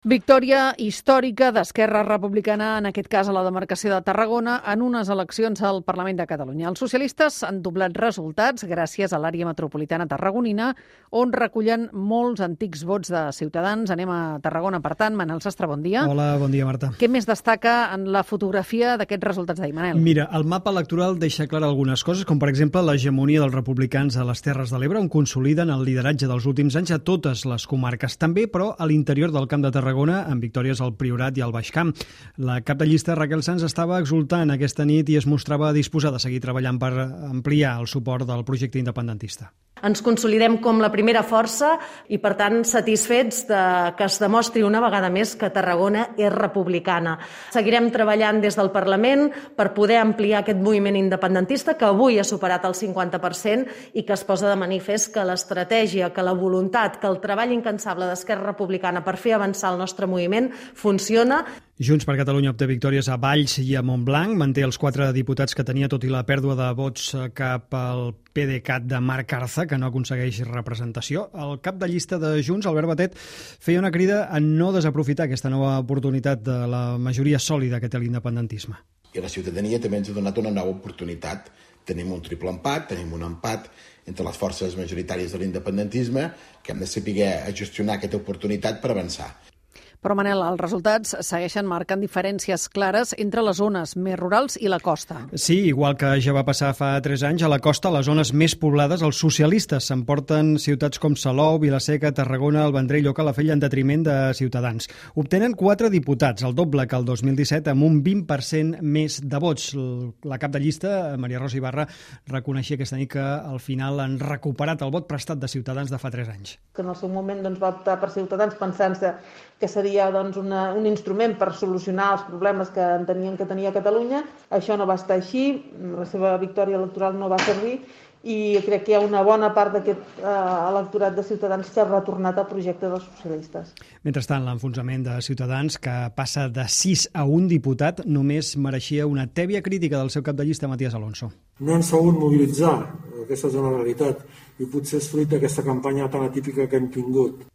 Victòria històrica d'Esquerra Republicana, en aquest cas a la demarcació de Tarragona, en unes eleccions al Parlament de Catalunya. Els socialistes han doblat resultats gràcies a l'àrea metropolitana tarragonina, on recullen molts antics vots de Ciutadans. Anem a Tarragona, per tant. Manel Sastre, bon dia. Hola, bon dia, Marta. Què més destaca en la fotografia d'aquests resultats d'ahir, Manel? Mira, el mapa electoral deixa clar algunes coses, com per exemple l'hegemonia dels republicans a les Terres de l'Ebre, on consoliden el lideratge dels últims anys a totes les comarques. També, però, a l'interior del Camp de Tarragona, amb victòries al Priorat i al Baix Camp. La cap de llista, Raquel Sans, estava exultant aquesta nit i es mostrava disposada a seguir treballant per ampliar el suport del projecte independentista. Ens consolidem com la primera força i, per tant, satisfets que es demostri una vegada més que Tarragona és republicana. Seguirem treballant des del Parlament per poder ampliar aquest moviment independentista que avui ha superat el 50% i que es posa de manifest que l'estratègia, que la voluntat, que el treball incansable d'Esquerra Republicana per fer avançar el nostre moviment funciona. Junts per Catalunya obté victòries a Valls i a Montblanc, manté els 4 diputats que tenia, tot i la pèrdua de vots cap al PDeCAT de Marc Arza, que no aconsegueix representació. El cap de llista de Junts, Albert Batet, feia una crida a no desaprofitar aquesta nova oportunitat de la majoria sòlida que té l'independentisme. I la ciutadania també ens ha donat una nova oportunitat. Tenim un triple empat, tenim un empat entre les forces majoritàries de l'independentisme, que hem de saber gestionar aquesta oportunitat per avançar. Però, Manel, els resultats segueixen marcant diferències clares entre les zones més rurals i la costa. Sí, igual que ja va passar fa 3 anys, a la costa, a les zones més poblades, els socialistes s'emporten ciutats com Salou, Vila-seca, Tarragona, el Vendrell o Calafell en detriment de Ciutadans. Obtenen 4 diputats, el doble que el 2017, amb un 20% més de vots. La cap de llista, Maria Rosa Ibarra, reconeixia aquesta nit que al final han recuperat el vot prestat de Ciutadans de fa 3 anys. Que en el seu moment va optar per Ciutadans pensant-se que seria un instrument per solucionar els problemes que entenien que tenia Catalunya. Això no va estar així, la seva victòria electoral no va servir i crec que hi ha una bona part d'aquest electorat de Ciutadans que ha retornat al projecte dels socialistes. Mentrestant, l'enfonsament de Ciutadans, que passa de 6 a 1 diputat, només mereixia una tèbia crítica del seu cap de llista, Matías Alonso. No han sabut mobilitzar, aquesta és una realitat, i potser és fruit d'aquesta campanya tan atípica que hem tingut.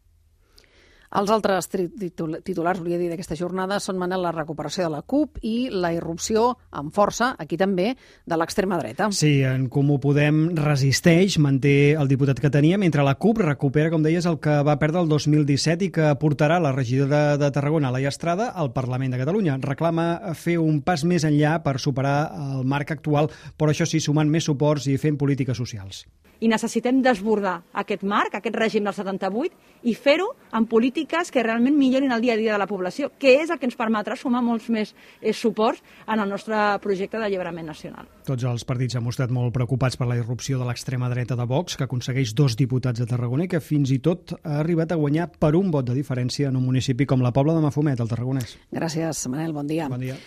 Els altres titulars, volia dir, d'aquesta jornada són, Manel, la recuperació de la CUP i la irrupció amb força, aquí també, de l'extrema dreta. Sí, en Comú Podem resisteix, manté el diputat que tenia, mentre la CUP recupera, com deies, el que va perdre el 2017 i que portarà la regidora de Tarragona, Laia Estrada, al Parlament de Catalunya. Reclama fer un pas més enllà per superar el marc actual, però això sí, sumant més suports i fent polítiques socials. I necessitem desbordar aquest marc, aquest règim del 78, i fer-ho amb polítiques que realment millorin el dia a dia de la població, que és el que ens permetrà sumar molts més suports en el nostre projecte d'alliberament nacional. Tots els partits han mostrat molt preocupats per la irrupció de l'extrema dreta de Vox, que aconsegueix 2 diputats a Tarragona i que fins i tot ha arribat a guanyar per un vot de diferència en un municipi com la Pobla de Mafumet, al Tarragonès. Gràcies, Manel, bon dia. Bon dia.